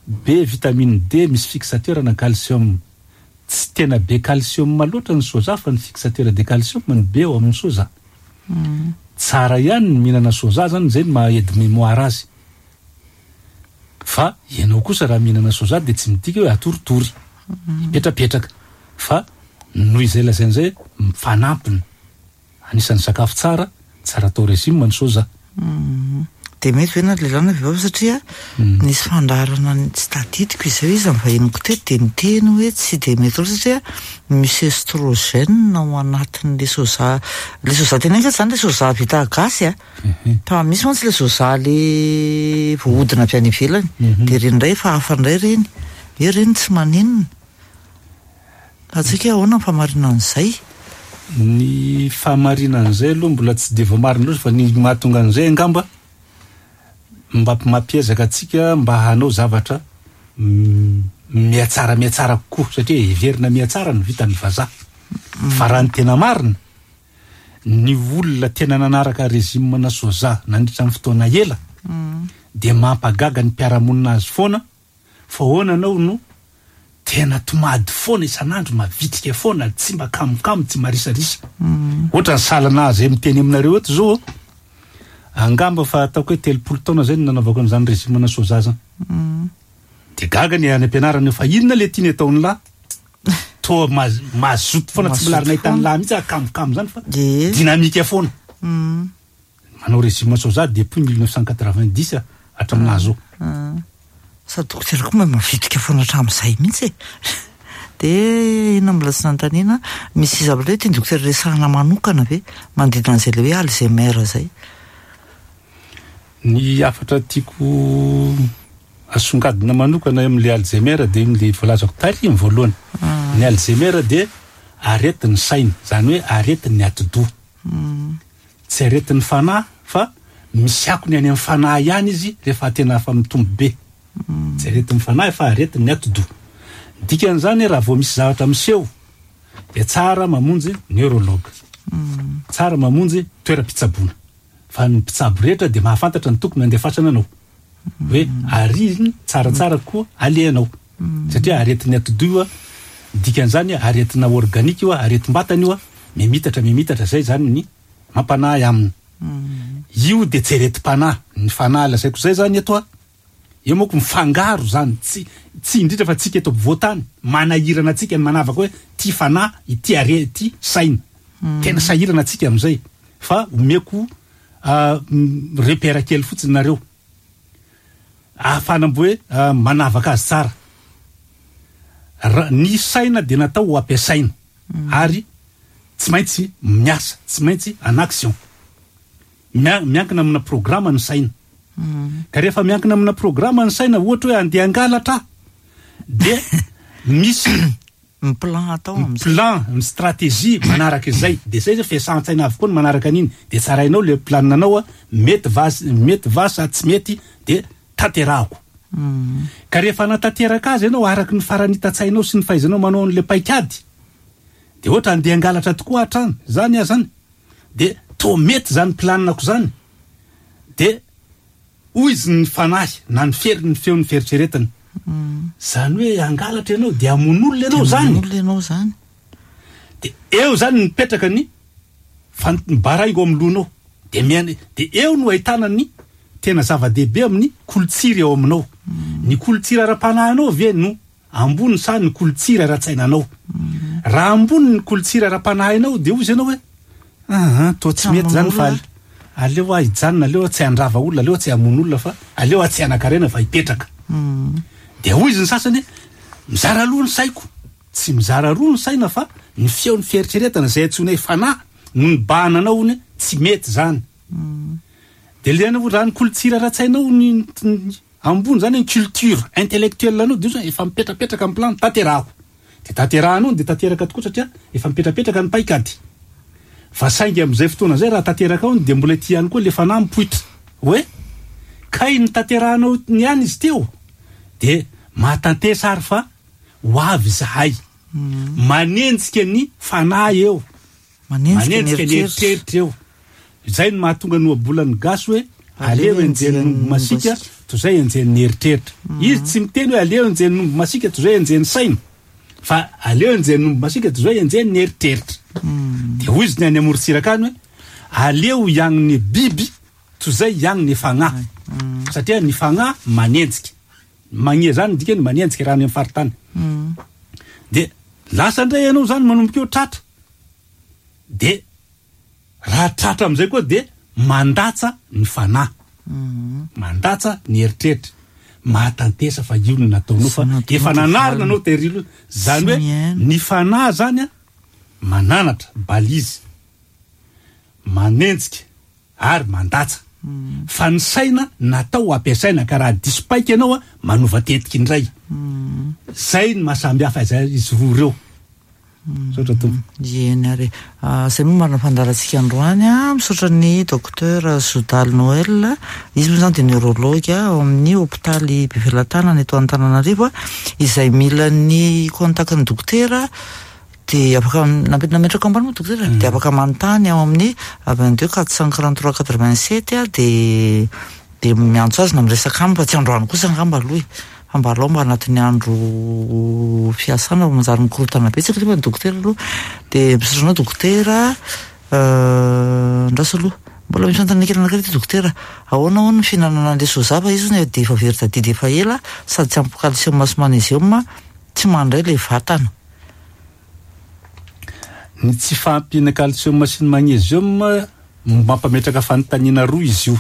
be vitamine D, misy fixateur na calcium. Tsy tena be calcium loatra ny soja fa ny fixateur de calcium ny be ao amin'ny soja. Tsara ihany ny mihinana soja zany, zay no maha aide mémoire azy. Fa ianao kosa raha mihinana soja de tsy midika hoe atoritory, hipetrapetraka. Fa noho izay lazaina zay mifanampiny. Anisan'ny sakafo tsara, tsara atao régime ny soja. De mety ve na lehilahy na vehivavy satria nisy fandaharana ny- tsy tadidiko izy io izy ny vahiniko teto de niteny hoe tsy de mety loatra satria misy estrogène ao anatin'le soja, le soja tena zany le soja vita gasy a, fa misy mantsy le soja le voahodina avy any ivelany, de reny indray efa hafa indray reny, hoe reny tsy maninona. Atsika ahoana ny fahamarinan'izay? Ny fahamarinan'izay aloha mbola tsy de voamarina loatra, fa ny mahatonga an'izay angamba mba mampiezaka antsika mba hanao zavatra mm, mihatsara mihatsara kokoa, satria heverina mihatsara ny vitan'ny vazaha. Fa raha ny tena marina, ny olona tena nanaraka régime na soja nandritra ny fotoana ela de mampagaga ny mpiara-monina azy foana, fa ahoana anao no tena tomady foana isan'andro, mavitrika foana, tsy mba kamokamo, tsy marisarisa. Ohatra ny salana azy miteny aminareo eto zao, angamba fa ataoko hoe telopolo taona zay no nanaovako an'izany régime na soja zany. De gaga ny any am-pianarana fa inona le tiany ataon'ny lahy? Toa maz- mazoto foana, tsy mbola ary nahita ny lahy mihitsy ah, kamokamo zany fa De dynamique foana. Manao régime soja depuis mille neuf cent quatre-vingt-dix hatraminazy zao. Sady dokotera koa mahay mavitrika foana hatramin'izay mihitsy e. De inona mbola tsy nanontaniana, misy zavatra hoe tiany dokotera resahana manokana ve manodidina an'izay le hoe Alzheimer zay? Ny hafatra tiako asongadina manokana amin'le Alzheimer de le voalazako tary ny voalohany. Ny Alzheimer de aretin'ny saina, zany hoe aretin'ny atidoha. Tsy aretin'ny fanahy fa misy akony any amin'ny fanahy ihany izy rehefa tena efa mitombo be. Tsy aretin'ny fanahy fa aretin'ny atidoha. Dikan'izany raha vao misy zavatra miseho de tsara mamonjy neurologue. Tsara mamonjy toeram-pitsaboana. Fa ny mpitsabo rehetra de mahafantatra ny tokony andefasana anao. Hoe ary iny tsaratsara koa alehanao. Satria aretin'ny atidoha io a, dikan'izany aretina organique io a, aretim-batana io a, mimitatra mimitatra zay zany ny mampanahy aminy. Io de tsy aretim-panahy. Ny fanahy lazaiko zay zany eto a, Eo manko mifangaro zany, tsy tsy indrindra fa tsika eto ampovoantany manahirana antsika ny manavaka hoe ty fanahy ity are ty saina. Tena sahirana antsika am'izay, fa omeko repère kely fotsiny nareo ahafahana mbo hoe manavaka azy tsara. Ra ny saina de natao ho ampiasaina ary tsy maintsy miasa, tsy maintsy en action. Mia- miankina amina programme ny saina. Ka rehefa miankina amina programme ny saina, ohatra hoe andeha angalatra de misy ny plan atao am'izay, plan, ny stratégie manaraka izay, de zay zay fiasan-tsaina avokoa ny manaraka an'iny, de tsarainao le planinanao a mety va mety va sa tsy mety, de tanterahako. Ka rehefa natanteraka azy ianao araky ny faranita-tsainao sy ny fahaizanao manao an'le paikady, de ohatra andeha angalatra tokoa hatrany zany ah zany, de to mety zany planinako zany, de hoy izy ny fanahy na ny fery ny feon'ny fieritreretana zany hoe angalatra ianao de amon'olona ianao zany. Olona ianao zany. De eo zany mipetraka ny fan- ny baraingo amin'ny lohanao, de miana, de eo no ahitana ny tena zava-dehibe amin'ny kolotsiry eo aminao. Ny kolotsiry ara-panahinao ve no ambony sa ny kolotsiry ara-tsainanao? Raha ambony ny kolotsiry ara-panahinao, de hoy izy ianao hoe aha, to tsy mety zany fa aleo a hijanona, aleo a tsy handrava olona, aleo a tsy hamono olona, fa aleo a tsy hanan-karena fa hipetraka. De hoy izy ny sasany hoe mizara roa ny saiko. Tsy mizara roa ny saina, fa ny feon'ny fieritreretana zay antsoina hoe fanahy no nibahana anao hony tsy mety zany. De le anao raha ny kolotsiry ara-tsainao ny ny ambony zany, ny culture intellectuelle anao, de io zany efa mipetrapetraka amin'ny plan tanterahako, de tanterahanao, de tanteraka tokoa satria efa mipetrapetraka ny paikady. Fa saingy am'izay fotoana zay raha tanteraka ao, de mbola ty ihany koa le fanahy mipoitra hoe kay ny tanterahanao ny ihany izy teo, de mahatantesa ary fa ho avy zahay manenjika ny fanahy eo, manenjika ny manenjika ny eritreritra. Eritreritra eo zay no mahatonga ny ohabolan'ny gasy hoe aleo enjehin'ny masika toy zay enjehin'ny eritreritra. Izy tsy miteny hoe aleo enjehin'ny omby masika toy zay enjehin'ny saina, fa aleo enjehin'ny omby masika toy zay enjehin'ny eritreritra. De hoy izy ny any amorontsiraka any hoe aleo hiagniny biby toy zay hiagniny fagnahy, satria ny fagnahy manenjika magnia zany, dikany manenjika raha any amin'ny faritany. De lasa indray ianao zany manomboka eo tratra, de raha tratra am'izay koa de mandatsa ny fanahy, mandatsa ny eritreritra, mahatantesa fa io no nataonao fa efa nanarina anao terilo zany hoe ny fanahy zany a mananatra balizy, manenjika ary mandatsa, fa ny saina natao ampiasaina, ka raha diso paika ianao a manova tetiky indray. Zay ny mahasamby hafa zay izy roa reo. Saotra tompo. Eny ary, zay moa marina fandaharantsika androany a misaotra ny docteur Zodal Noël. Izy moa zany de neurologue ao amin'ny hôpitaly Befelatanana eto Antananarivo a izay mila ny contact ny dokotera de afaka nametraka ambany moa dokotera, de afaka manontany ao amin'ny vingt deux quatre cent quarante trois quatre vingt sept a de de miantso azy na miresaka aminy, fa tsy androany kosa angamba aloha e, fa mba alao mba anatin'ny andro fiasana fa manjary mikorotana betsaka nefa ny dokotera aloha. De misaotra anao dokotera. Andraso aloha, mbola misy fanontaniana kely anankiray ty dokotera. Ahoana hono ny fihinanana an'le soja, fa izy hono de efa very tadidy efa ela, sady tsy ampy calcium sy magnésium, tsy mandray le vatana? Ny tsy fahampiana calcium sy ny magnésium mampametraka fanontaniana roa izy io,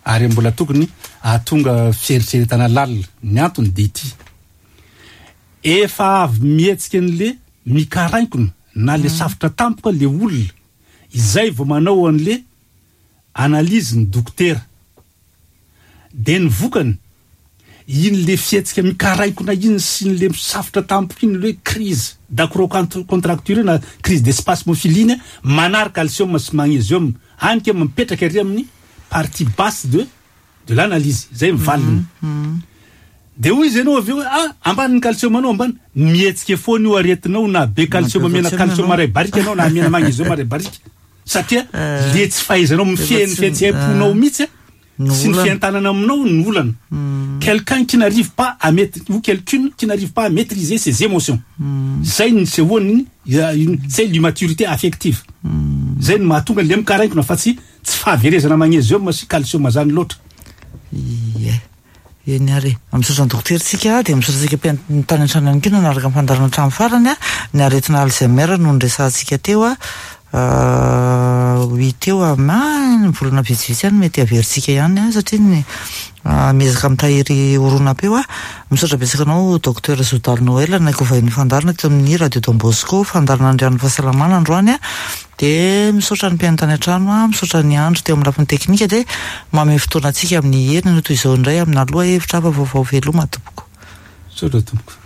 ary mbola tokony ahatonga fieritreretana lalina. Ny antony de ity: efa avy mihetsika an'le mikarainkona na le safotra tampoka le olona izay vao manao an'le analyse ny dokotera, de ny vokany iny le fihetsika mikarainkona iny sy n'le misafotra tampoka iny, le hoe crise d'acrocontracture na crise de spasmophilie iny, manary calcium sy magnésium any ke mipetraka ary amin'ny partie basse de de l'analyse zay mivaliny. De hoy izy ianao avy eo hoe ah, ambany ny calcium anao, ambany mihetsika foana io aretinao, na be calcium, mena calcium ray barika anao na mena magnésium ray barika, satria le tsy fahaizanao mifehy ny fihetseham-ponao mihitsy a sy ny fientanana aminao ny olana. Quelqu'un qui n'arrive pas à mettre ou quelqu'une qui n'arrive pas à maîtriser ses émotions, zay ny sehoany, zay l'immaturité affective, zay ny mahatonga le mikarainkona, fa tsy tsy fahaverezana magnésium sy calcium zany loatra. Ie. Eny ary, misaotra ny dokotera tsika, dia misaotra antsika mpihaino tany an-trano ihany koa nanaraka ny fandaharana hatramin'ny farany a. Ny aretina Alzheimer no noresahantsika teo a, ho hita eo amin'ny ny volana vitsivitsy ihany mety haverintsika ihany a, satria ny miezaka mitahiry horonam-peo a. Misaotra betsaka anao, Docteur Zodaly Noël, naiko vahiny fandaharana teto amin'ny Radio Don Bosco, fandaharana Andrian'ny fahasalamana androany a. Dia misaotra ny mpihaino tany an-trano a, misaotra ny andro teo amin'ny lafiny teknika, dia manome fotoana antsika amin'ny heriny no toy izao indray amina lohahevitra hafa vaovao. Veloma tompoko. Misaotra tompoko.